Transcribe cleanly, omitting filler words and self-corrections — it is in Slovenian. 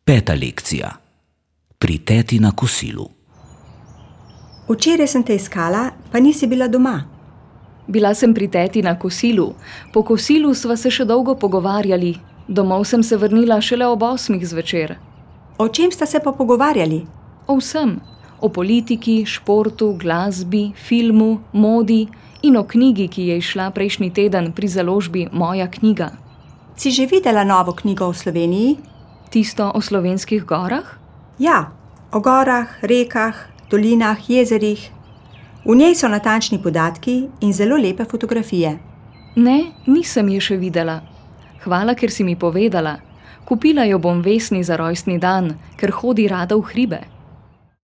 5. lekcija. Pri teti na kosilu. Včeraj sem te iskala, pa nisi bila doma. Bila sem pri teti na kosilu. Po kosilu sva se še dolgo pogovarjali. Domov sem se vrnila šele ob 8 zvečer. O čem sta se pa pogovarjali? O vsem. O politiki, športu, glasbi, filmu, modi in o knjigi, ki je izšla prejšnji teden pri založbi Moja knjiga. Si že videla novo knjigo o Sloveniji? Tisto o slovenskih gorah? Ja, o gorah, rekah, dolinah, jezerih. V njej so natančni podatki in zelo lepe fotografije. Ne, nisem je še videla. Hvala, ker si mi povedala. Kupila jo bom Vesni za rojstni dan, ker hodi rada v hribe.